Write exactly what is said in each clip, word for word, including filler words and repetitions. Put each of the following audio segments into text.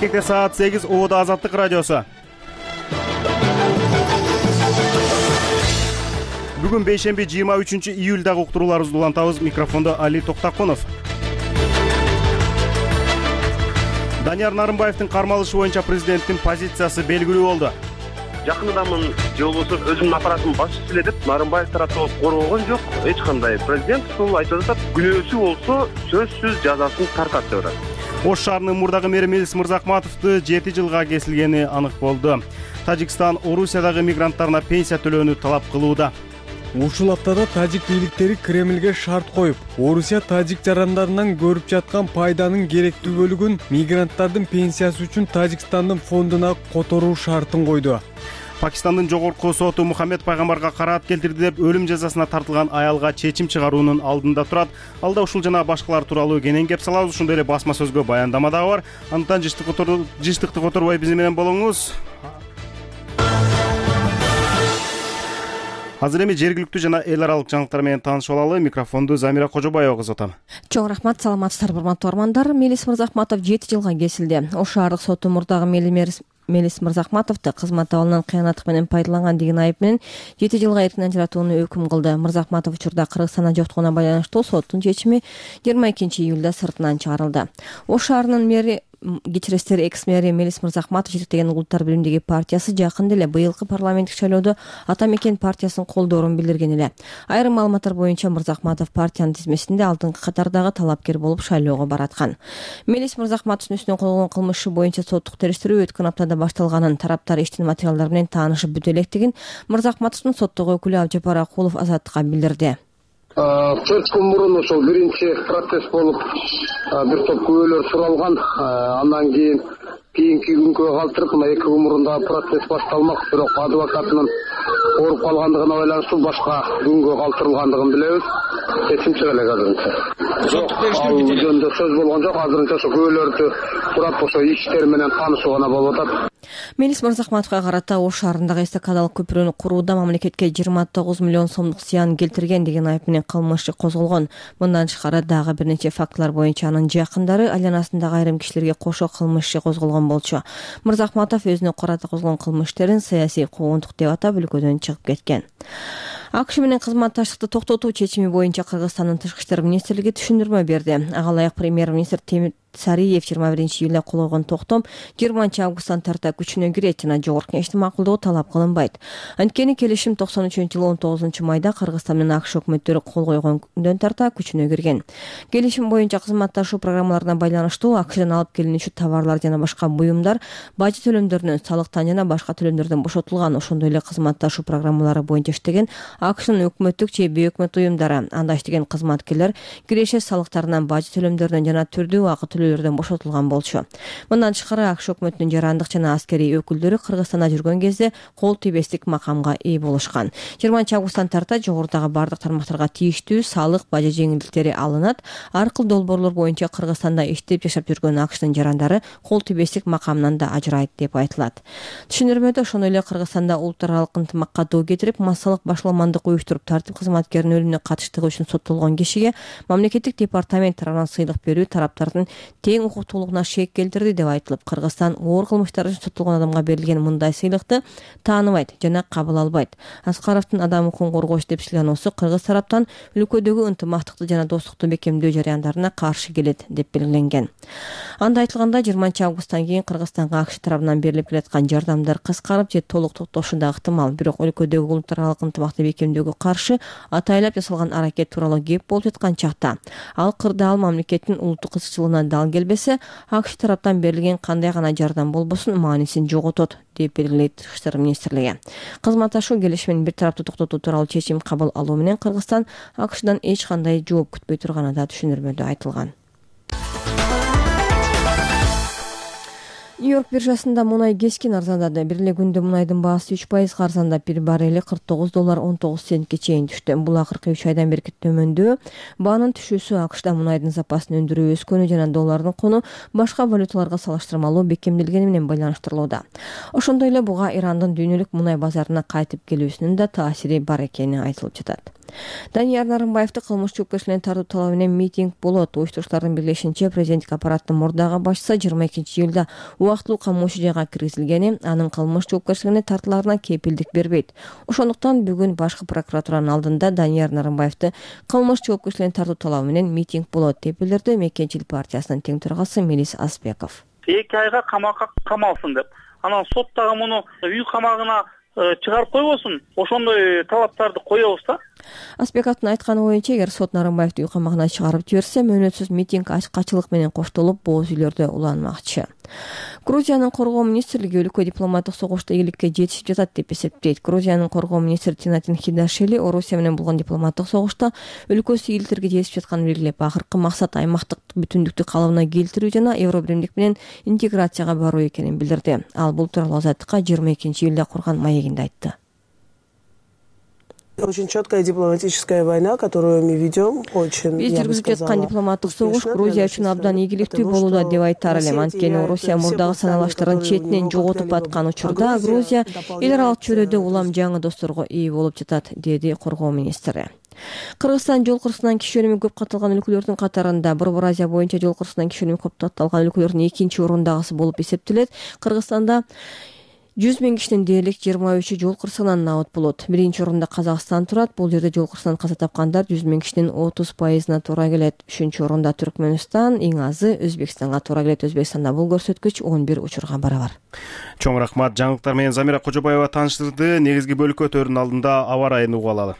Бишкекте саат сегиз, Убада Азаттык радиосу. Бүгүн бейшемби жыйырма үчүнчү июлдагы уктурууларыбызды улантабыз. Микрофондо Али Токтакунов. Данияр Нарымбаевдин кармалышы боюнча президенттин позициясы белгилүү болду. Жакындамын же болбосо өзүмдүн аппаратымдын башчысы эле деп Нарымбаев тарапы коргогон жок. Эч кандай президент ушул айтып атат. Күнөөсү болсо сөзсүз жазасын тартат деп атат. Ош шаарынын мурдагы мэри Мелис Мырзахматовду жети жылга кесилгени анык болду. Тажикстан Орусиядагы мигранттарына пенсия төлөөнү талап кылууда. Ушул аптада тажик бийликтери Кремлге шарт коюп, Орусия тажик жарандарынан көрүп жаткан пайданын керектүү бөлүгүн мигранттардын пенсиясы үчүн Тажикстандын фондуна которуу шартын койду. Пакистандын жогорку соту Мухаммед пайгамбарга караат келтирди деп өлүм жазасына тартылган аялга чечим чыгаруунун алдында турат. Алда ушул жана башкалар тууралуу кенен кеп салабыз. Ошондой эле басма сөзгө баяндама дагы бар. Андыктан жыштыкты которбой биз менен болуңуз. Азыр эми жергиликтүү жана эл аралык жаңылыктар менен таанышып алалы. Микрофонду Замира Кожобаева кызгатам. Чоң рахмат, саламатсыздарбы урматтуу угармандар. Мелис Мырзахматов жети жылга кесилди. Ош шаардык соту мурдагы Мелис Мырзахматовду кызмат абалынан кыянаттык менен пайдаланган деген айып менен жети жылга эркинен ажыратууну өкүм кылды. Мырзахматов учурда Кыргызстанда жоктугуна байланыштуу соттун чечими жыйырма экинчи июлда сыртынан чыгарылды. Ош шаарынын мэри кечиресиздер экс-мэри Мелис Мырзахматов жетектеген Улуттар биримдиги партиясы жакында эле быйылкы парламенттик шайлоодо Ата Мекен партиясын колдоорун билдирген эле. Айрым маалыматтар боюнча Мырзахматов партиянын тизмесинде алдыңкы катардагы талапкер болуп шайлоого бараткан. Мелис Мырзахматовдун үстүнөн козголгон кылмышы боюнча соттук териштирүү өткөн аптада башталганын, тараптар иштин материалдары менен таанышып бүтө электигин Мырзахматовдун соттогу өкүлү Абжапар Акулов Азаттыкка билдирди. төрт күн мурун ошол биринчи процесс болуп бир топ күбөлөр суралган. Андан кийин кийинки күнгө калтырып мына эки күн мурун дагы процесс башталмак. Бирок адвокатынын ооруп калгандыгына байланыштуу башка күнгө калтырылгандыгын билебиз. Чечим чыга элек азырынча. Жок, ал жөнүндө сөз болгон жок. Азырынча ошо күбөлөрдү сурап ошо иштер менен таанышуу гана болуп атат. Мелис Мырзахматовго карата Ош шаарындагы эстакадалык көпүрөнү курууда мамлекетке жыйырма тогуз миллион сомдук зыян келтирген деген айып менен кылмыш иши козголгон. Мындан тышкары дагы бир нече фактылар боюнча анын жакындары айланасындагы айрым кишилерге кошо кылмыш иши козголгон болчу. Мырзахматов өзүнө карата козголгон кылмыш иштерин саясий куугунтук деп атап өлкөдөн чыгып кеткен. АКШ менен кызматташтыкты токтотуу чечими боюнча Кыргызстандын тышкы иштер министрлиги түшүндүрмө берди. Ага ылайык премьер-министр Темир Сариев жыйырма биринчи июлда кол койгон токтом жыйырманчы августтан тарта күчүнө кирет жана жогорку кеңештин макулдугу талап кылынбайт. Анткени келишим токсон үчүнчү жылы он тогузунчу майда Кыргызстан менен АКШ өкмөттөрү кол койгон күндөн тарта күчүнө кирген. Келишим боюнча кызматташуу программаларына байланыштуу АКШдан алып келинүүчү товарлар жана башка буюмдар бажы төлөмдөрүнөн, салыктан жана башка төлөмдөрдөн бошотулган. Ошондой эле кызматташуу программалары боюнча иштеген АКШнын өкмөттүк же бейөкмөт уюмдары, анда иштеген кызматкерлер киреше салыктарынан, бажы төлөмдөрүнөн жана түрдүү акы төлөөлөрдөн бошотулган болчу. Мындан тышкары АКШ өкмөтүнүн жарандык жана аскерий өкүлдөрү Кыргызстанда жүргөн кезде кол тийбестик макамга ээ болушкан. жыйырманчы августтан тарта жогорудагы бардык тармактарга тийиштүү салык, бажы жеңилдиктери алынат. Ар кыл долбоорлор боюнча Кыргызстанда иштеп жашап жүргөн АКШнын жарандары кол тийбестик макамынан да ажырайт деп айтылат. Түшүндүрмөдө ошондой эле Кыргызстанда улуттар аралык ынтымакка доо кетирип, массалык башаламандык уюштуруп, тартип кызматкеринин өлүмүнө катыштыгы үчүн соттолгон кишиге мамлекеттик департамент тарабынан сыйлык берүү тараптардын тең укуктуулугуна шек келтирди деп айтылып, Кыргызстан оор кылмыштар үчүн соттолгон адамга берилген мындай сыйлыкты тааныбайт жана кабыл албайт. Аскаровдун адам укугун коргооч деп сыйлануусу Кыргыз тараптан өлкөдөгү ынтымактыкты жана достукту бекемдөө жараяндарына каршы келет деп белгиленген. Анда айтылгандай, жыйырманчы августтан кийин Кыргызстанга АКШ тарабынан берилип келаткан жардамдар кыскарып же толук токтошу да ыктымал. Бирок өлкөдөгү улуттар аралык ынтымакты бекемдөөгө каршы атайлап жасалган аракет тууралуу кеп болуп жаткан чакта ал кырдаал мамлекеттин улуттук кызыкчылыгына дал келбесе, АКШ тараптан берилген кандай гана жардам болбосун маанисин жоготот деп белгилейт Тышкы иштер министрлиги. Кызматташуу келишимин бир тараптуу токтотуу тууралуу чечим кабыл алуу менен Кыргызстан АКШдан эч кандай жооп күтпөй турганы да түшүндүрмөдө айтылган. Нью-Йорк биржасында мунай кескен арзандады. Бир эле күндө мунайдын баасы үч пайызга арзандап, бир баррели кырк тогуз доллар он тогуз центке чейин түштү. Бул акыркы үч айдан берки төмөндөө. Баанын түшүүсү АКШда мунайдын запасын өндүрүү өскөнү жана доллардын куну башка валюталарга салыштырмалуу бекемделгени менен байланыштырылууда. Ошондой эле буга Ирандын дүйнөлүк мунай базарына кайтып келүүсүнүн да таасири бар экени айтылып жатат. Данияр Нарымбаевди кылмыш жоопкерчиликке тартуу талабы менен митинг болот. Уюштуруучулардын билишинче, президенттик аппараттын мурдагы башчысы жыйырма экинчи июлда убактылуу камоочу жайга киргизилгени анын кылмыш жоопкерчилигине тартылаарына кепилдик бербейт. Ошондуктан бүгүн башкы прокуратуранын алдында Данияр Нарымбаевди кылмыш жоопкерчиликке тартуу талабы менен митинг болот деп билдирди Мекенчил партиясынын тең төрагасы Мелис Аспеков. эки айга камакка камалсын деп, анан сот дагы муну үй камагына чыгарып койбосун, ошондой талаптарды коебуз да. Аспековдун айтканы боюнча, эгер сот Нарымбаевди үй камагына чыгарып жиберсе, мөөнөтсүз митинг ачкачылык менен коштолуп, бооз үйлөрдө уланмакчы. Грузиянын коргоо министрлиги өлкө дипломаттык согушта ийгиликке жетишип жатат деп эсептейт. Грузиянын коргоо министри Тинатин Хидашвили Орусия менен болгон дипломаттык согушта өлкөсү ийгиликтерге жетишип жатканын белгилеп, акыркы максат аймактык бүтүндүктү калыбына келтирүү жана Евробиримдик менен интеграцияга баруу экенин билдирди. Ал бул тууралуу Азаттыкка жыйырма экинчи июлда курган маегинде айтты. Очень четкая дипломатическая война, которую мы ведем, очень, Биз жүргүзүп жаткан дипломаттык согуш Грузия үчүн абдан ийгиликтүү болууда деп айтар элем. Анткени Орусия мурдагы саналаштарын четинен жоготуп аткан учурда Грузия эл аралык чөйрөдө улам жаңы досторго ээ болуп жатат, деди коргоо министри. Кыргызстан жол кырсынан киши өлүмү көп катталган өлкөлөрдүн катарында. Борбор Азия боюнча жол кырсынан киши өлүмү көп катталган өлкөлөрдүн экинчи орундагысы болуп эсептелет. Кыргызстанда жүз миң кишинин дээрлик жыйырма үчү жол кырсыгынан набыт болот. Биринчи орунда Казакстан турат. Бул жерде жол кырсынан каза тапкандар жүз миң кишинин отуз пайызына туура келет. Үчүнчү орунда Түркмөнстан, эң азы Өзбекстанга туура келет. Өзбекстанда бул көрсөткүч он бир учурга барабар. Чоң рахмат. Жаңылыктар менен Замира Кожобаева тааныштырды. Негизги бөлүккө өтөрүнүн алдында аба ырайын угуп алалы.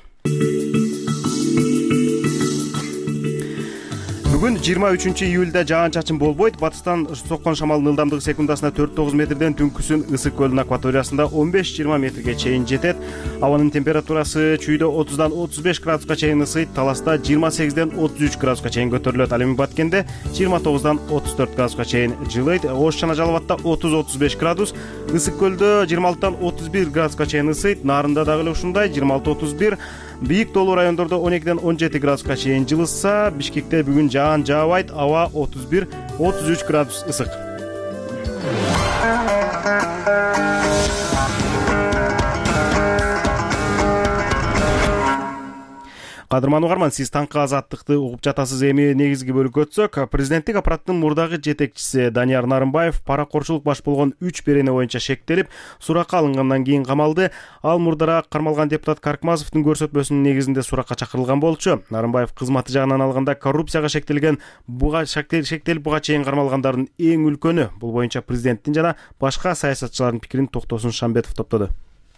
Бүгүн жыйырма үчүнчү июлда жаан-чачын болбойт. Батыстан соккон шамалдын ылдамдыгы секундасына төрт тогуз метрден, түнкүсүн Ысык көлүнүн акваториясында он беш жыйырма метрге чейин жетет. Абанын температурасы чүйдө отуздан отуз беш градуска чейин ысыйт, Таласта жыйырма сегизден отуз үч градуска чейин көтөрүлөт. Ал эми Баткенде жыйырма тогуздан отуз төрт градуска чейин жылыйт. Ош жана Жалал Абадта отуз отуз беш градус, Ысык көлдө жыйырма алтыдан отуз бир градуска чейин ысыйт. Нарында дагы эле ушундай жыйырма алты отуз бир. Бийик тоолуу райондордо он экиден он жети градуска чейин жылыса, Бишкекте бүгүн жаан жаабайт, аба отуз бир отуз үч градус ысык. Кадырман угарман, сиз таңкы азаттыкты угуп жатасыз. Эми негизги бөлүккө өтсөк, президенттик аппараттын мурдагы жетекчиси Данияр Нарымбаев паракорчулук баш болгон үч берене боюнча шектелип, суракка алынгандан кийин камалды. Ал мурдараак кармалган депутат Каркмазовдун көрсөтмөсүнүн негизинде суракка чакырылган болчу. Нарымбаев кызматы жагынан алганда коррупцияга шектелген, буга шектелип буга чейин кармалгандардын эң үлкөнү. Бул боюнча президенттин жана башка саясатчылардын пикирин Токтосун Шамбетов топтоду.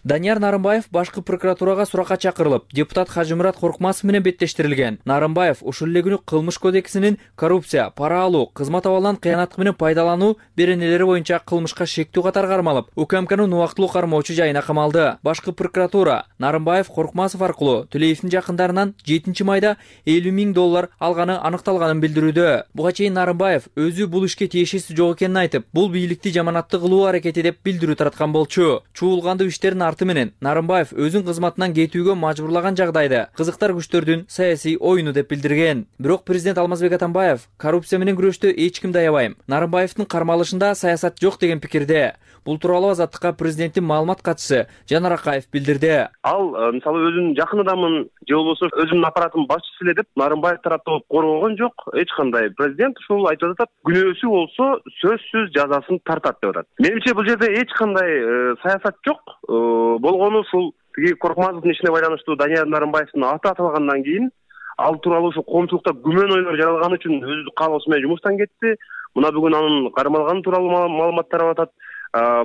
Данияр Нарымбаев башкы прокуратурага суракка чакырылып, депутат Хажымурат Коркмасов менен беттештирилген. Нарымбаев ушул эле күнү кылмыш кодексинин коррупция, пара алуу, кызмат абалынан кыянаттык менен пайдалануу беренелери боюнча кылмышка шектүү катар кармалып, УКМКнын убактылуу кармоочу жайына камалды. Башкы прокуратура Нарымбаев Коркмасов аркылуу Төлеевдин жакындарынан жетинчи майда элүү миң доллар алганы аныкталганын билдирүүдө. Буга чейин Нарымбаев өзү бул ишке тиешеси жок экенин айтып, бул бийликти жаманатты кылуу аракети деп билдирүү тараткан болчу. Чуулгандуу иштердин арты менен Нарымбаев өзүн кызматынан кетүүгө мажбурлаган жагдайда кызыктар күчтөрдүн саясий оюну деп билдирген. Бирок президент Алмазбек Атамбаев коррупция менен күрөштө эч кимди аябайм, Нарымбаевдин кармалышында саясат жок деген пикирде. Бул тууралуу Азаттыкка президенттин маалымат катчысы Жанар Акаев билдирди. Ал мисалы өзүнүн жакын адамын же болбосо өзүнүн аппаратынын башчысы эле деп Нарымбаев тараптуу коргогон жок. Эч кандай. Президент ушул айтып атат, күнөөсү болсо сөзсүз жазасын тартат деп атат. Менимче бул жерде эч кандай саясат жок. Болгону ушул тиги Коркмазовдун ишине байланыштуу Данияр Нарымбаевдин аты аталгандан кийин ал тууралуу ушул коомчулукта күмөн ойлор жаралган үчүн өзү каалоосу менен жумуштан кетти. Мына бүгүн анын кармалганы тууралуу маалымат тарап атат.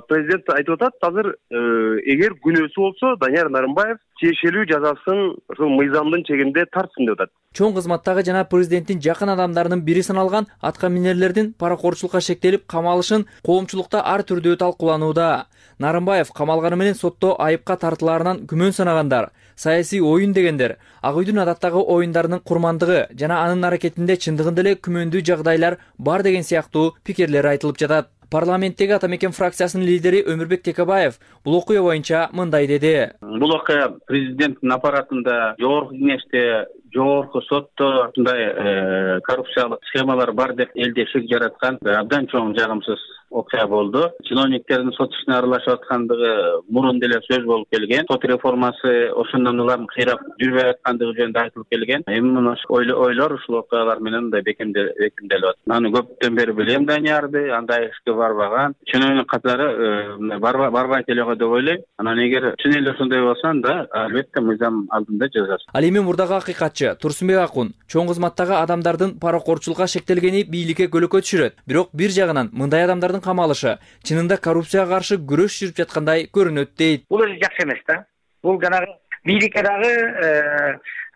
Президент айтып атат, азыр эгер күнөөсү болсо Данияр Нарымбаев тиешелүү жазасын ушул мыйзамдын чегинде тартсын деп атат. Чоң кызматтагы жана президенттин жакын адамдарынын бири саналган атка минерлердин паракорчулукка шектелип камалышын коомчулукта ар түрдүү талкууланууда. Нарымбаев камалганы менен сотто айыпка тартылаарынан күмөн санагандар, саясий оюн дегендер, Ак үйдүн адаттагы оюндарынын курмандыгы жана анын аракетинде чындыгында эле күмөндүү жагдайлар бар деген сыяктуу пикирлер айтылып жатат. Парламенттеги Ата Мекен фракциясынын лидери Өмүрбек Текебаев бул окуя боюнча мындай деди. Бул окуя президенттин аппаратында, жогорку кеңеште жогорку сотто ушундай коррупциялык схемалар бар деп элде шек жараткан абдан чоң жагымсыз окуя болду. Чиновниктердин сот ишине аралашып аткандыгы мурун деле сөз болуп келген. Сот реформасы ошондон улам кыйрап жүрбөй аткандыгы жөнүндө айтылып келген. Эми муну ойлор ушул окуялар менен мындай бекемделип атат. Аны көптөн бери билем Даниярды, андай ишке барбаган. Чиновник катары барбайт эле го деп ойлойм. Анан эгер чын эле ошондой болсо анда албетте мыйзам алдында жазасыз. Ал эми мурдагы акыйкатчы Турсунбек Акун чоң кызматтагы адамдардын паракорчулукка шектелгени бийликке көлөкө түшүрөт. Бирок бир жагынан мындай адамдардын камалышы чынында коррупцияга каршы күрөш жүрүп жаткандай көрүнөт дейт. Бул өзү жакшы эмес да. Бул жанагы бийликке дагы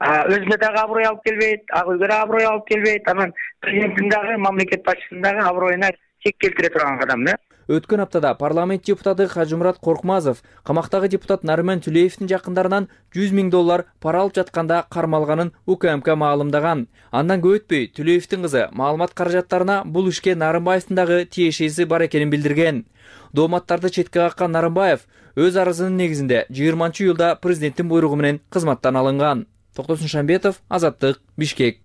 өзүнө дагы аброй алып келбейт, ак үйгө дагы аброй алып келбейт. Анан президенттин дагы, мамлекет башчысынын дагы аброюна чек келтире турган кадам да. Өткөн аптада парламент депутаты Кажымурат Коркмазов камактагы депутат Нарыман Түлеевдин жакындарынан жүз миң доллар пара алып жатканда кармалганын УКМК маалымдаган. Андан көп өтпөй Түлеевдин кызы маалымат каражаттарына бул ишке Нарымбаевдин дагы тиешеси бар экенин билдирген. Дооматтарды четке каккан Нарымбаев өз арызынын негизинде жыйырманчы июлда президенттин буйругу менен кызматтан алынган. Токтосун Шамбетов, Азаттык, Бишкек.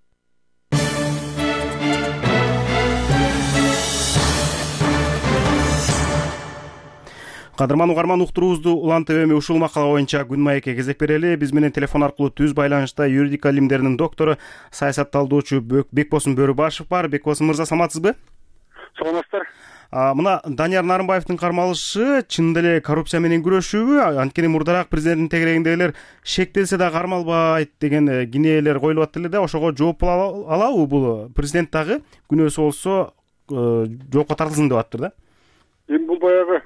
Кадырман угарман, уктуруубузду Улан ТВ ушул макала боюнча күн маекке кезек берели. Биз менен телефон аркылуу түз байланышта юридика илимдеринин доктору, саясатталдоочу Бекбосун Бөрүбашев бар. Бекбосун мырза, саламатсызбы? Саламатсыздар. Мына Данияр Нарымбаевдин кармалышы чындап эле коррупция менен күрөшүүбү? Анткени мурдараак президенттин тегерегиндегилер шектелсе да кармалбайт деген кинеелер коюлуп аттыр эле да. Ошого жооп боло алабы бул? Президент дагы күнөөсү болсо жоопко тартылсын деп аттыр да. Эми бул баягы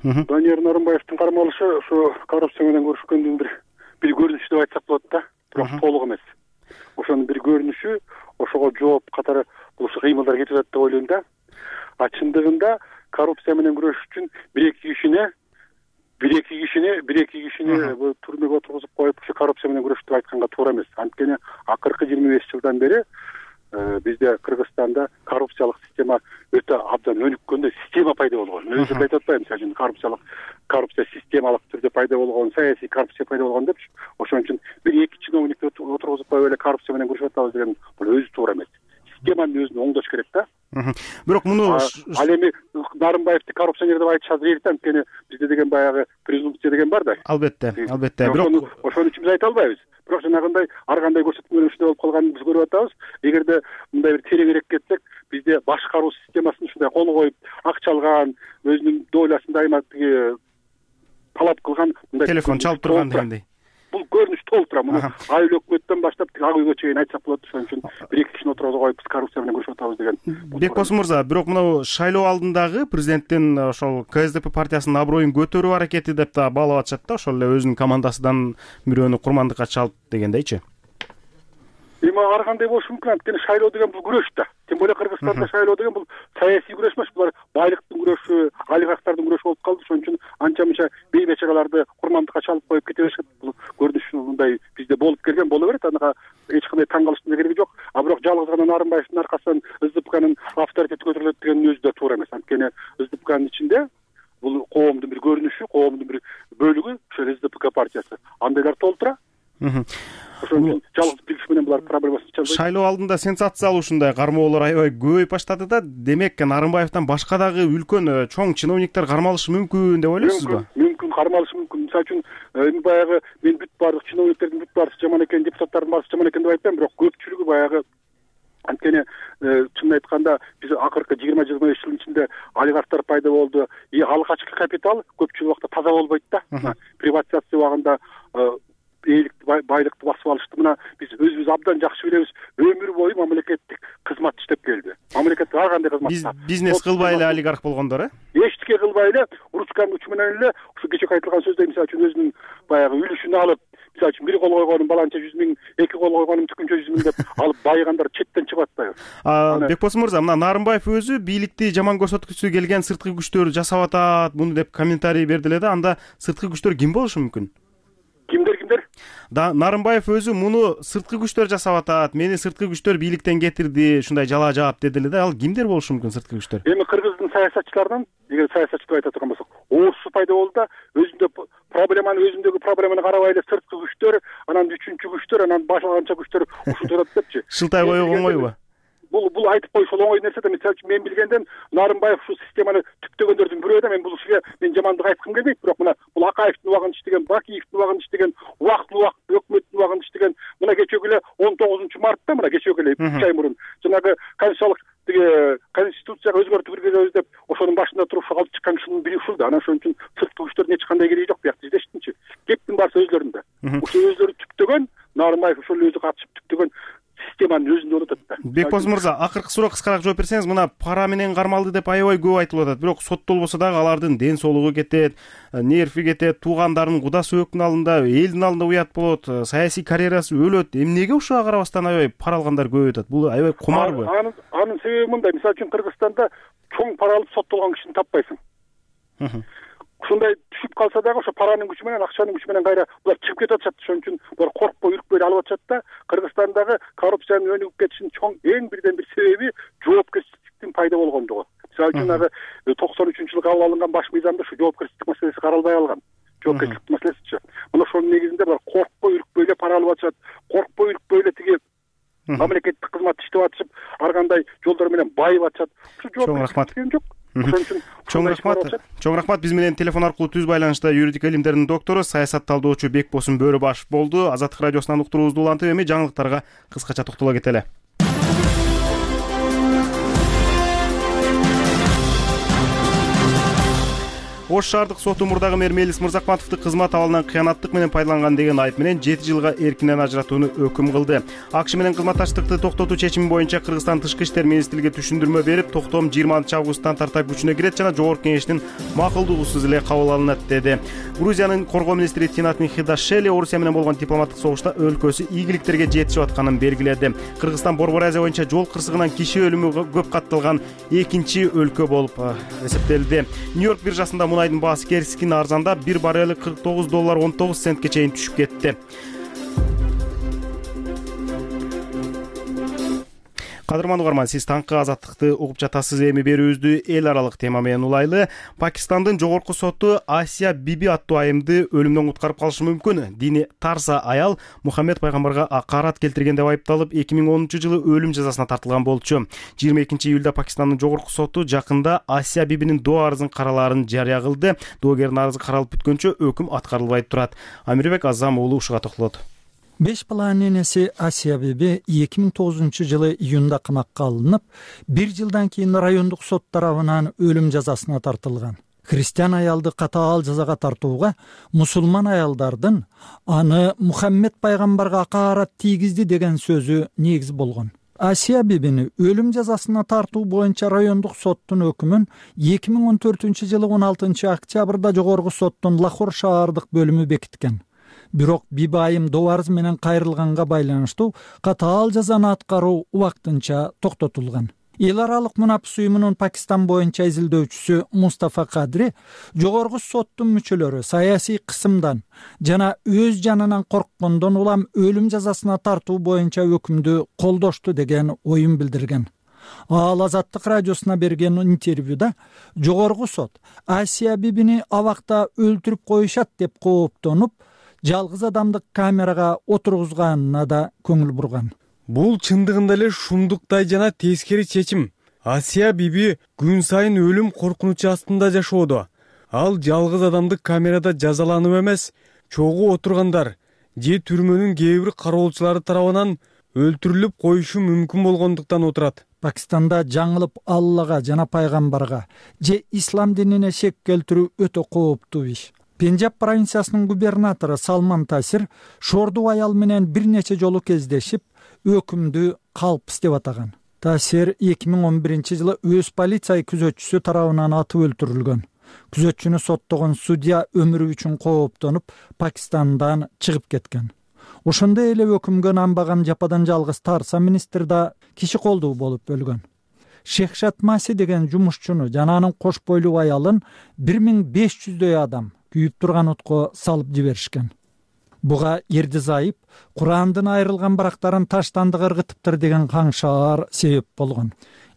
Данияр Нарымбаевдин кармалышы ошо коррупция менен көрүшкөндүн бир бир көрүнүшү деп айтсак болот да. Бирок толук эмес. Ошонун бир көрүнүшү, ошого жооп катары бул кыймылдар кетип атат деп ойлойм да. А чындыгында коррупция менен күрөш үчүн бир эки кишини бир эки кишини бир эки кишини түрмөгө отургузуп коюп ушу коррупция менен күрөш деп айтканга туура эмес. Анткени акыркы жыйырма беш жылдан бери бизде Кыргызстанда коррупциялык система өтө абдан өнүккөндө система пайда болгон. Өзү айтып атпаймын, мисалы үчүн коррупциялык коррупция системалык түрдө пайда болгон, саясий коррупция пайда болгон депчи. Ошон үчүн бир эки чиновникти отургузуп коюп эле коррупция менен күрөшүп атабыз деген бул өзү туура эмес. Системаны өзүн оңдош керек да. Бирок муну ал эми Нарымбаевди коррупционер деп айтышат эрт, анткени бизде деген баягы презумпция деген бар да. Албетте, албетте. Бирок ошон үчүн биз айта албайбыз. Бирок жанагындай ар кандай көрсөтмөлөр ушундай болуп калганын биз көрүп атабыз. Эгерде мындай бир тереңирээк кетсек, бизде башкаруу системасын ушундай кол коюп, акча алган, өзүнүн дойласын дайыма талап кылган мындай телефон чалып турган дегендей. Бул көрүнүш толуп тура. Муну айыл өкмөттөн баштап ак үйгө чейин айтсак болот. Ошон үчүн бир эки кишини отургузуп коюп биз коррупция менен күрөшүп атабыз деген. Бекбосун мырза, бирок мына шайлоо алдындагы президенттин ошол КСДП партиясынын аброюн көтөрүү аракети деп да баалап атышат да, ошол эле өзүнүн командасынан бирөөнү курмандыкка чалып дегендейчи. Эми ар кандай болушу мүмкүн, анткени шайлоо деген бул күрөш да. Тем более Кыргызстанда шайлоо деген бул саясий күрөш эмес, булар байлыктын күрөшү, олигархтардын күрөшү болуп калды. Ошон үчүн анча мынча бейбечараларды курмандыкка чалып коюп кете беришет. Бул көрүнүш мындай бизде болуп келген, боло берет. Анага эч кандай таң калыштын кереги жок. А бирок жалгыз гана Нарымбаевдин аркасынан СДПКнын авторитети көтөрүлөт деген өзү да туура эмес. Анткени СДПКнын ичинде бул коомдун бир көрүнүшү, коомдун бир бөлүгү ошол СДПК партиясы. Андайлар толтура. Ошон үчүн жалгыз бир киши менен булар проблемасын чалбайт. Шайлоо алдында сенсациялуу ушундай кармоолор аябай көбөйүп баштады да. Демек, Нарымбаевден башка дагы үлкөн чоң чиновниктер кармалышы мүмкүн деп ойлойсузбу? Мүмкүн, кармалышы мүмкүн. Мисалы үчүн, эми баягы мен бүт баардык чиновниктердин бүт баардыгы жаман экен, депутаттардын баардыгы жаман экен деп айтпайм, бирок көпчүлүгү баягы анткени чынын айтканда биз акыркы жыйырма жыйырма беш жылдын ичинде олигархтар пайда болду. И алгачкы капитал көпчүлүк убакта таза болбойт да. Приватизация убагында эликти байлыкты басып алышты. Мына биз өзүбүз абдан жакшы билебиз. Өмүр бою мамлекеттик кызмат иштеп келди. Мамлекет ар кандай кызмат. Бизнес кылбай эле олигарх болгондор, э? Эчтеке кылбай эле ручканын учу менен эле ушу кечээ айтылган сөздөй, мисалы үчүн өзүнүн баягы үлүшүн алып, мисалы үчүн бир кол койгонум баланча жүз миң, эки кол койгонум түкүнчө жүз миң деп алып байыгандар четтен чыгып атпайбы? Бекбосун мырза, мына Нарымбаев өзү бийликти жаман көрсөткүсү келген сырткы күчтөр жасап атат, муну деп комментарий берди эле да. Анда сырткы күчтөр ким болушу мүмкүн? Кимдер кимдер? Да, Нарымбаев өзү муну сырткы күчтөр жасап атат, мени сырткы күчтөр бийликтен кетирди, ушундай жала жаап деди эле да. Ал кимдер болушу мүмкүн сырткы күчтөр? Эми Кыргыздын саясатчыларынан, эгер саясатчы деп айта турган болсок, орусу пайда болду да, өзүндө проблеманы өзүндөгү проблеманы карабай эле сырткы күчтөр, анан үчүнчү күчтөр, анан башкача күчтөр ушинтип атат депчи. Шылтай коюу оңойбу? Бул бул айтып коюш оңой нерсе да. Мисалы үчүн мен билгенден Нарымбаев ушул системаны түптөгөндөрдүн бирөө да. Мен бул кишиге мен жамандык айткым келбейт, бирок мына бул Акаевдин убагында иштеген, Бакиевдин убагында иштеген, убактылуу убакыт өкмөттүн убагында иштеген, мына кечеги эле он тогузунчу мартта, мына кечеги эле үч ай мурун жанагы конституциялык тиги конституцияга өзгөртүү киргизебиз деп ошонун башында туруп алып чыккан кишинин бири ушул да. Анан ошон үчүн сырткы күчтөрдүн эч кандай кереги жок биякта издештинчи. Кептин баарысы өзлөрүндө. Ошол өзлөрү түптөгөн, Нарымбаев ошол өзү катышып түптөгөн системанын өзүндө унутат да. Бекбоз мырза, акыркы суроок кыскараак жооп берсеңиз, мына пара менен кармалды деп аябай көп айтылып атат. Бирок соттолбосо дагы алардын ден соолугу кетет, нерви кетет, туугандарынын куда сөбөктүн алдында, элдин алдында уят болот, саясий карьерасы өлөт. Эмнеге ушуга карабастан аябай пара алгандар көп өтөт? Бул аябай кумарбы? Анын анын себеби мындай. Мисалы үчүн Кыргызстанда чоң пара алып соттолгон кишини таппайсың. Ушундай түшүп калса дагы ошо паранын күчү менен, акчанын күчү менен кайра булар чыгып кетип атышат. Ошон үчүн булар коркпой, үркпөй алып атышат да. Кыргызстандагы коррупциянын өнүгүп кетишинин чоң эң бирден бир себеби жоопкерчиликтин пайда болгондугу. Мисалы үчүн ага токсон үчүнчү жылы кабыл алынган баш мыйзамда ушу жоопкерчилик маселеси каралбай калган. Жоопкерчилик маселесичи. Мына ошонун негизинде булар коркпой, үркпөй эле пара алып атышат. Коркпой, үркпөй эле тиги мамлекеттик кызматты иштеп атышып, ар кандай жолдор менен байып атышат. Ушу жоопкерчилик жок. Чоң рахмат. Чоң рахмат. Биз менен телефон аркылуу түз байланышта юридик илимдердин доктору, саясат талдоочу Бекбосун Бөрөбашев болду. Азаттык радиосунан уктуруубузду улантып, эми жаңылыктарга кыскача токтоло кетели. Ош шаардык соту мурдагы мэр Мелис Мырзакматовду кызмат абалынан кыянаттык менен пайдаланган деген айып менен жети жылга эркинен ажыратууну өкүм кылды. АКШ менен кызматташтыкты токтотуу чечими боюнча Кыргызстан Тышкы иштер министрлиги түшүндүрмө берип, токтом жыйырманчы августтан тарта күчүнө кирет жана жогорку кеңештин макулдугусуз эле кабыл алынат деди. Грузиянын коргоо министри Тинат Михидашвили Орусия менен болгон дипломаттык согушта өлкөсү ийгиликтерге жетишип атканын белгиледи. Кыргызстан Борбор Азия боюнча жол кырсыгынан киши өлүмү көп катталган экинчи өлкө болуп эсептелди. Нью-Йорк биржасында мунайдын баасы кескин арзандап, бир баррели кырк тогуз доллар он тогуз центке чейин түшүп кетти. Кадырман угарман, сиз таңкы азаттыкты угуп жатасыз. Эми берүүбүздү эл аралык тема менен улайлы. Пакистандын жогорку соту Асия Биби аттуу айымды өлүмдөн куткарып калышы мүмкүн. Дини тарса аял Мухаммед пайгамбарга акарат келтирген деп айыпталып, эки миң онунчу жылы өлүм жазасына тартылган болчу. жыйырма экинчи июлда Пакистандын жогорку соту жакында Асия Бибинин доо арызын каралаарын жарыя кылды. Доогердин арызы каралып бүткөнчө өкүм аткарылбай турат. Амирбек Азам уулу ушуга токтолот. Беш баланын энеси Асия Биби эки миң тогузунчу жылы июнда камакка алынып, бир жылдан кийин райондук сот тарабынан өлүм жазасына тартылган. Христиан аялды катаал жазага тартууга мусулман аялдардын аны Мухаммед пайгамбарга акарат тийгизди деген сөзү негиз болгон. Асия Бибини өлүм жазасына тартуу боюнча райондук соттун өкүмүн эки миң он төртүнчү жылы он алтынчы октябрда жогорку соттун Лахор шаардык бөлүмү бекиткен. Бирок Биби айым доо арыз менен кайрылганга байланыштуу катаал жазаны аткаруу убактынча токтотулган. Эл аралык мунапис уюмунун Пакистан боюнча изилдөөчүсү Мустафа Кадри жогорку соттун мүчөлөрү саясий кысымдан жана өз жанынан корккондон улам өлүм жазасына тартуу боюнча өкүмдү колдошту деген оюн билдирген. Ал Азаттык радиосуна берген интервьюда жогорку сот Асия Бибини абакта өлтүрүп коюшат деп кооптонуп, жалгыз адамдык камерага отургузганына да көңүл бурган. Бул чындыгында эле шумдуктай жана тескери чечим. Асия Биби күн сайын өлүм коркунучу астында жашоодо. Ал жалгыз адамдык камерада жазаланып эмес, чогуу отургандар же түрмөнүн кээ бир кароолчулары тарабынан өлтүрүлүп коюшу мүмкүн болгондуктан отурат. Пакистанда жаңылып Аллага жана пайгамбарга же ислам динине шек келтирүү өтө кооптуу иш. Пенджаб провинциясынын губернатору Салман Тасир шордуу аял менен бир нече жолу кездешип, өкүмдү калпыс деп атаган. Тасир эки миң он биринчи жылы өз полиция күзөтчүсү тарабынан атып өлтүрүлгөн. Күзөтчүнү соттогон судья өмүрү үчүн кооптонуп, Пакистандан чыгып кеткен. Ошондой эле өкүмгө нанбаган жападан жалгыз Тарса министр да киши колдуу болуп өлгөн. Шехшат Маси деген жумушчуну жана анын кош бойлуу аялын бир миң беш жүздөй адам күйүп турган отко салып жиберишкен. Буга Эрди Зайып Курандын айрылган барактарын таштандык ыргытыптыр деген каңшаар себеп болгон.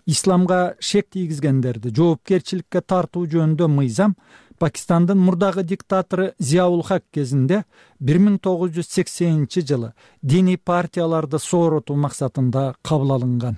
Исламга шек тийгизгендерди жоопкерчиликке тартуу жөнүндө мыйзам Пакистандын мурдагы диктатору Зияул Хак кезинде бир миң тогуз жүз сексенинчи жылы диний партияларды сооротуу максатында кабыл алынган.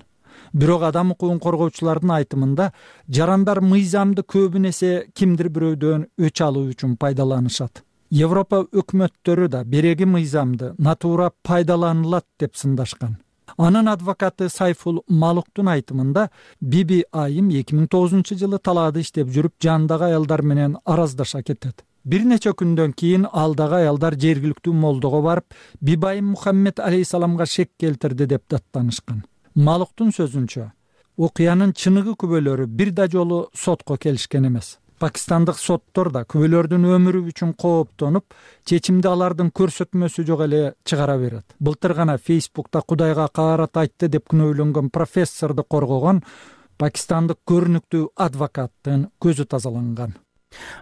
Бирок адам укугун коргоочулардын айтымында жарандар мыйзамды көбүн эсе кимдир бирөөдөн өч алуу үчүн пайдаланышат. Европа өкмөттөрү да береги мыйзамды натура пайдаланылат деп сындашкан. Анын адвокаты Сайфул Малуктун айтымында Биби Айым эки миң тогузунчу жылы талаада иштеп жүрүп жандагы аялдар менен араздаша кетет. Бир нече күндөн кийин алдагы аялдар жергиликтүү молдого барып, Бибайым Мухаммед алейхисаламга шек келтирди деп даттанышкан. Малуктун сөзүнчө, окуянын чыныгы күбөлөрү бир да жолу сотко келишкен эмес. Пакистандык соттор да күбөлөрдүн өмүрү үчүн кооптонуп, чечимди алардын көрсөтмөсү жок эле чыгара берет. Былтыр гана Фейсбукта Кудайга каарат айтты деп күнөөлөнгөн профессорду коргогон пакистандык көрүнүктүү адвокаттын көзү тазаланган.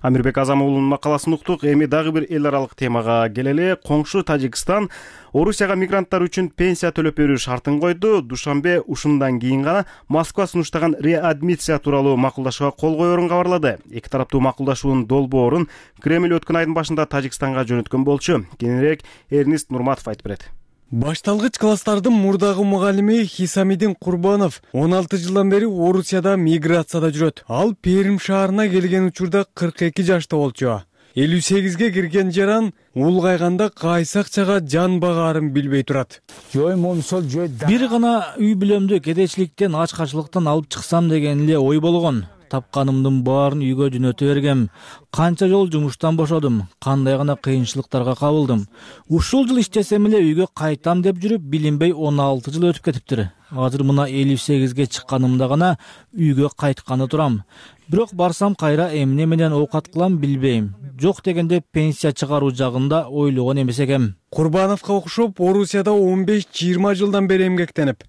Амирбек Азам уулунун макаласын уктук. Эми дагы бир эл аралык темага келели. Коңшу Тажикстан Орусияга мигранттар үчүн пенсия төлөп берүү шартын койду. Душанбе ушундан кийин гана Москва сунуштаган реадмиссия тууралуу макулдашууга кол коерун кабарлады. Эки тараптуу макулдашуунун долбоорун Кремль өткөн айдын башында Тажикстанга жөнөткөн болчу. Кийинирээк Эрнист Нурматов айтып берет. Башталгыч класстардын мурдагы мугалими Хисамидин Курбанов он алты жылдан бери Орусияда миграцияда жүрөт. Ал Перим шаарына келген учурда кырк эки жашта болчу. элүү сегизге кирген жаран улгайганда кайсы акчага жан багаарын билбей турат. Бир гана үй бүлөмдү кедейчиликтен, ачкачылыктан алып чыксам деген эле ой болгон. Тапканымдын баарын үйгө жөнөтө бергем. Канча жол жумуштан бошодум, кандай гана кыйынчылыктарга кабылдым. Ушул жыл иштесем эле үйгө кайтам деп жүрүп, билинбей он алты жыл өтүп кетиптир. Азыр мына элүү сегизге чыкканымда гана үйгө кайтканы турам. Бирок барсам кайра эмне менен оокат кылам билбейм. Жок дегенде пенсия чыгаруу жагында ойлогон эмес экем. Курбановго окшоп Орусияда он беш жыйырма жылдан бери эмгектенип,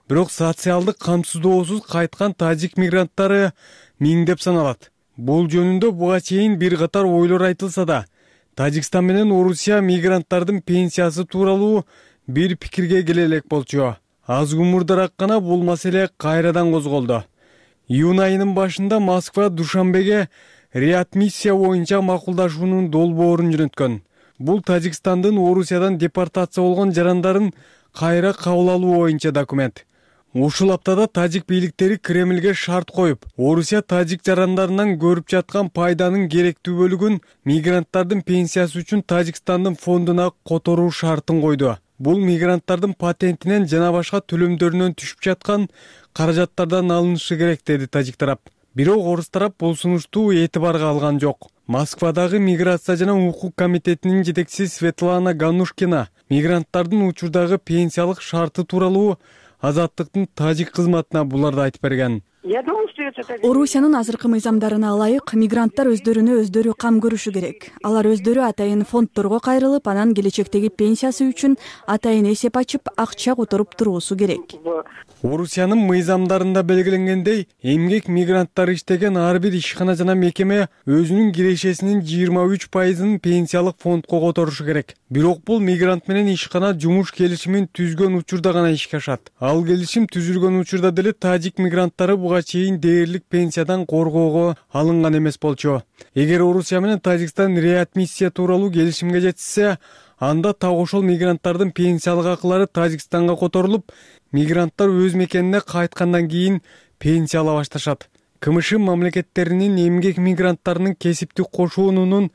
бирок социалдык камсыздоосуз кайткан тажик мигранттары миңдеп саналат. Бул жөнүндө буга чейин бир катар ойлор айтылса да, Тажикстан менен Орусия мигранттардын пенсиясы тууралуу бир пикирге келе элек болчу. Аз умурдараак гана бул маселе кайрадан козголду. Июнь айынын башында Москва Душанбеге реадмиссия боюнча макулдашуунун долбоорун жөнөткөн. Бул Тажикстандын Орусиядан депортация болгон жарандарын кайра кабыл алуу боюнча документ. Ушул аптада тажик бийликтери Кремльге шарт коюп, Орусия тажик жарандарынан көрүп жаткан пайданын керектүү бөлүгүн мигранттардын пенсиясы үчүн Тажикстандын фондуна которуу шартын койду. Бул мигранттардын патентинен жана башка төлөмдөрүнөн түшүп жаткан каражаттардан алынышы керек деди тажик тарап. Бирок орус тарап бул сунушту этибарга алган жок. Москвадагы миграция жана укук комитетинин жетекчиси Светлана Ганушкина мигранттардын учурдагы пенсиялык шарты тууралуу Азаттыктын тажик кызматына буларды айтып берген. Орусиянын азыркы мыйзамдарына ылайык мигранттар өздөрүнө өздөрү кам көрүшү керек. Алар өздөрү атайын фондторго кайрылып, анан келечектеги пенсиясы үчүн атайын эсеп ачып, акча которуп туруусу керек. Орусиянын мыйзамдарында белгиленгендей, эмгек мигранттар иштеген ар бир ишкана жана мекеме өзүнүн кирешесинин жыйырма үч пайызын пенсиялык фондко которушу керек. Бирок бул мигрант менен ишкана жумуш келишимин түзгөн учурда гана ишке ашат. Ал келишим түзүлгөн учурда деле тажик мигранттары буга чейин дээрлик пенсиядан коргоого алынган эмес болчу. Эгер Орусия менен Тажикстан реадмиссия тууралуу келишимге жетишсе, анда так ошол мигранттардын пенсиялык акылары Тажикстанга которулуп, мигранттар өз мекенине кайткандан кийин пенсия ала башташат. КМШ мамлекеттеринин эмгек мигранттарынын кесиптик кошуунунун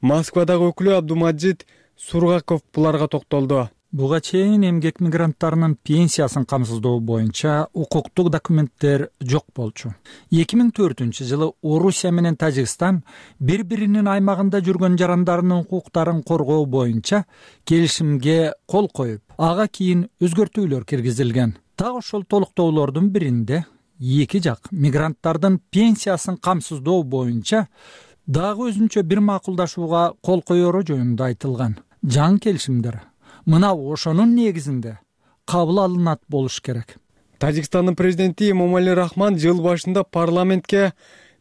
Москвадагы өкүлү Абдумаджид Сургаков буларга токтолду. Буга чейин эмгек мигранттарынын пенсиясын камсыздоо боюнча укуктук документтер жок болчу. эки миң төртүнчү жылы Орусия менен Тажикстан бири-биринин аймагында жүргөн жарандарынын укуктарын коргоо боюнча келишимге кол коюп, ага кийин өзгөртүүлөр киргизилген. Так ошол толуктоолордун биринде эки жак мигранттардын пенсиясын камсыздоо боюнча дагы өзүнчө бир макулдашууга кол коеру жөнүндө айтылган. Жаңы келишимдер мына ошонун негизинде кабыл алынат болуш керек. Тажикстандын президенти Эмомали Рахман жыл башында парламентке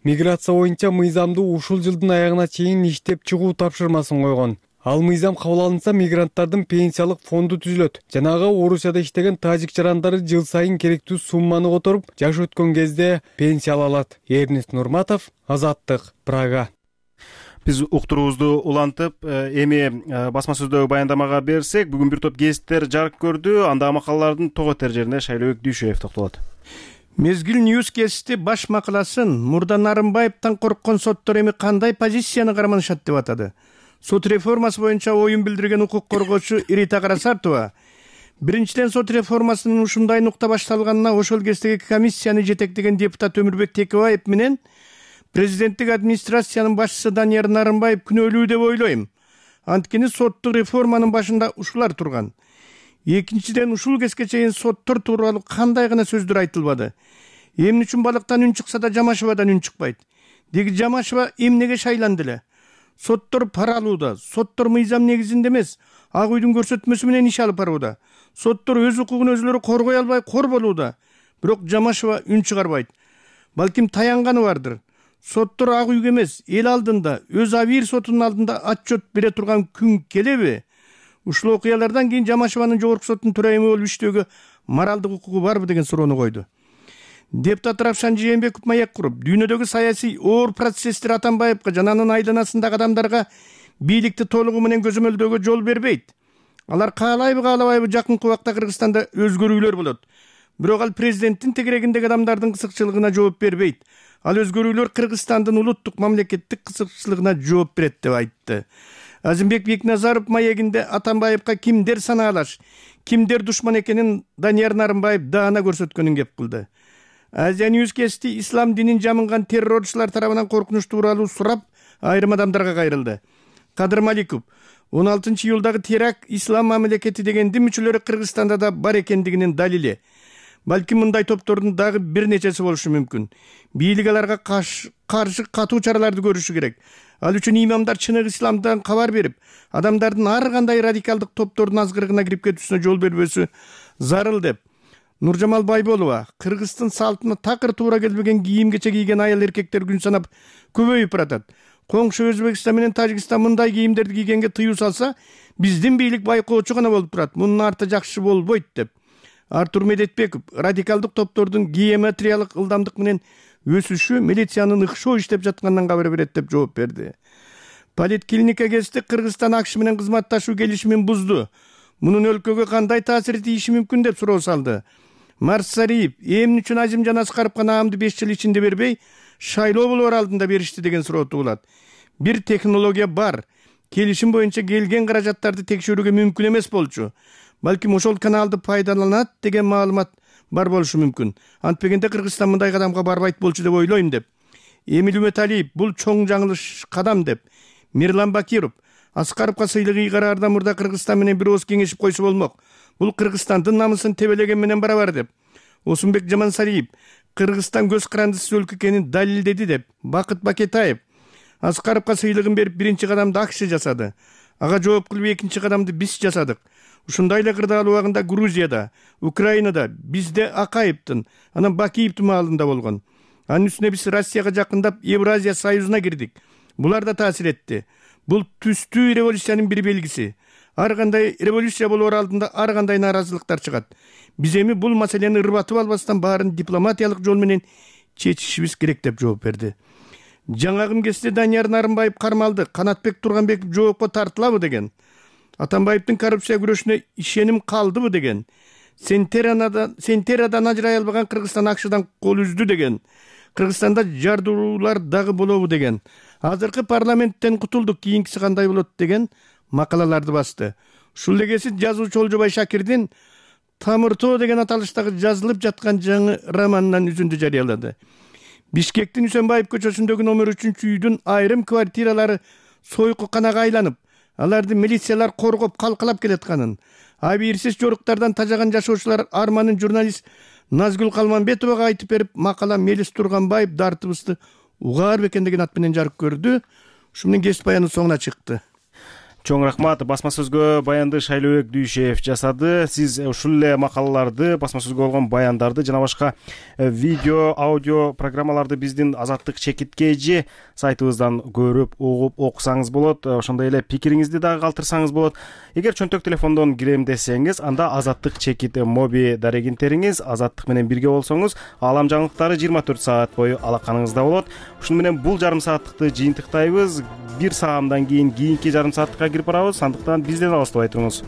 миграция боюнча мыйзамды ушул жылдын аягына чейин иштеп чыгуу тапшырмасын койгон. Ал мыйзам кабыл алынса, мигранттардын пенсиялык фонду түзүлөт. Жанагы Орусияда иштеген тажик жарандары жыл сайын керектүү сумманы которуп, жаш өткөн кезде пенсия ала алат. Эрнист Нурматов, Азаттык, Прага. Биз уктуруубузду улантып эми басма сөздөгү баяндамага берсек, бүгүн бир топ гезиттер жарык көрдү. Андагы макалалардын того тер жерине Шайлообек Дүйшөев токтолот. Мезгил Ньюс гезити баш макаласын мурда Нарымбаевден корккон соттор эми кандай позицияны карманышат деп атады. Сот реформасы боюнча оюн билдирген укук коргоочу Ирита Карасартова биринчиден сот реформасынын ушундай нукта башталганына ошол кездеги комиссияны жетектеген депутат Өмүрбек Текебаев менен президенттик администрациянын башчысы Данияр Нарымбаев күнөөлүү деп ойлойм. Анткени соттук реформанын башында ушулар турган. Экинчиден ушул кезге чейин соттор тууралуу кандай гана сөздөр айтылбады. Эмне үчүн балыктан үн чыкса да Жамашевадан үн чыкпайт? Деги Жамашева эмнеге шайланды эле? Соттор пара алууда, соттор мыйзам негизинде эмес, ак үйдүн көрсөтмөсү менен иш алып барууда. Соттор өз укугун өзлөрү коргой албай кор болууда. Бирок Жамашева үн чыгарбайт. Балким таянганы бардыр. Соттор ак үйгө эмес, эл алдында, өз абийир сотунун алдында отчет бере турган күн келеби? Ушул окуялардан кийин Жамашеванын жогорку соттун төрайымы болуп иштөөгө моралдык укугу барбы деген суроону койду. Депутат Равшан Жээнбеков маек куруп, дүйнөдөгү саясий оор процесстер Атамбаевга жана анын айланасындагы адамдарга бийликти толугу менен көзөмөлдөөгө жол бербейт. Алар каалайбы каалабайбы жакынкы убакта Кыргызстанда өзгөрүүлөр болот. Бирок ал президенттин тегерегиндеги адамдардын кызыкчылыгына жооп бербейт. Ал өзгөрүүлөр Кыргызстандын улуттук мамлекеттик кызыкчылыгына жооп берет деп айтты. Азимбек Бекназаров маегинде Атамбаевга кимдер санаалаш, кимдер душман экенин Данияр Нарымбаев даана көрсөткөнүн кеп кылды. Азия Ньюс гезити ислам динин жамынган террорчулар тарабынан коркунуч тууралуу сурап, айрым адамдарга кайрылды. Кадыр Маликов он алтынчы июлдагы теракт ислам мамлекети деген дин мүчөлөрү Кыргызстанда да бар экендигинин далили. Балким мындай топтордун дагы бир нечеси болушу мүмкүн. Бийлик аларга каршы катуу чараларды көрүшү керек. Ал үчүн имамдар чыныгы исламдан кабар берип, адамдардын ар кандай радикалдык топтордун азгырыгына кирип кетүүсүнө жол бербөсү зарыл деп. Нуржамал Байболова Кыргыздын салтына такыр туура келбеген кийим кече кийген аял эркектер күн санап көбөйүп баратат. Коңшу Өзбекстан менен Тажикстан мындай кийимдерди кийгенге тыюу салса, биздин бийлик байкоочу гана болуп турат. Мунун арты жакшы болбойт деп. Артур Медетбеков радикалдык топтордун геометриялык ылдамдык менен өсүшү милициянын ыкшоо иштеп жатканынан кабар берет деп жооп берди. Политклиника гезити Кыргызстан АКШ менен кызматташуу келишимин бузду. Мунун өлкөгө кандай таасири тийиши мүмкүн деп суроо салды. Марсариев эмне үчүн Азим жана Аскаровго наамды беш жыл ичинде бербей, шайлоо болор алдында беришти деген суроо туулат. Бир технология бар. Келишим боюнча келген каражаттарды текшерүүгө мүмкүн эмес болчу. Балким ошол каналды пайдаланат деген маалымат бар болушу мүмкүн. Антпегенде Кыргызстан мындай кадамга барбайт болчу деп ойлойм деп. Эмил Үмөталиев бул чоң жаңылыш кадам деп. Мирлан Бакиров Аскаровго сыйлык ыйгараарда мурда Кыргызстан менен бир ооз кеңешип койсо болмок. Бул Кыргызстандын намысын тебелеген менен барабар деп. Осунбек Жамансариев Кыргызстан көз карандысыз өлкө экенин далилдеди деп. Бакыт Бакетаев Аскаровго сыйлыгын берип биринчи кадамды АКШ жасады. Ага жооп кылып экинчи кадамды биз жасадык. Ушундай эле кырдаал убагында Грузияда, Украинада бизде Акаевдин, анан Бакиевдин маалында болгон. Анын үстүнө биз Россияга жакындап Евразия союзуна кирдик. Булар да таасир этти. Бул түстүү революциянын бир белгиси. Ар кандай революция болоор алдында ар кандай нааразылыктар чыгат. Биз эми бул маселени ырбатып албастан баарын дипломатиялык жол менен чечишибиз керек деп жооп берди. Жаңагым кезде Данияр Нарымбаев кармалды, Канатбек Турганбеков жоопко тартылабы деген. Атамбаевдин коррупция күрөшүнө ишеним калдыбы деген. Сентерадан ажырай албаган Кыргызстан АКШдан кол үздү деген. Кыргызстанда жардуулар дагы болобу деген. Азыркы парламенттен кутулдук, кийинкиси кандай болот деген макалаларды басты. Ушул эле кези жазуучу Олжобай Шакирдин Тамыртоо деген аталыштагы жазылып жаткан жаңы романынан үзүндү жарыялады. Бишкектин Үсөнбаев көчөсүндөгү номер үчүнчү үйдүн айрым квартиралары сойкуканага айланып, аларды милициялар коргоп калкалап келатканын, абийирсиз жоруктардан тажаган жашоочулар арманын журналист Назгүл Калманбетовага айтып берип, макала Мелис Турганбаев дартыбызды угаар бекендеген ат менен жарык көрдү. Ушу менен гезит баянын соңуна чыкты. Чоң рахмат. Басма сөзгө баянды Шайлообек Дүйшев жасады. Сиз ушул эле макалаларды, басма сөзгө болгон баяндарды жана башка видео, аудио программаларды биздин Азаттык чекитке же сайтыбыздан көрүп, угуп окусаңыз болот. Ошондой эле пикириңизди дагы калтырсаңыз болот. Эгер чөнтөк телефондон кирем десеңиз, анда Азаттык чекит моби дарегинтериңиз, Азаттык менен бирге болсоңуз, аалам жаңылыктары жыйырма төрт саат бою алаканыңызда болот. Ушуну менен бул жарым сааттыкты жыйынтыктайбыз. Бир саамдан кийин кийинки жарым сааттыкка кирип барабыз. Андыктан бизден алыстабай туруңуз.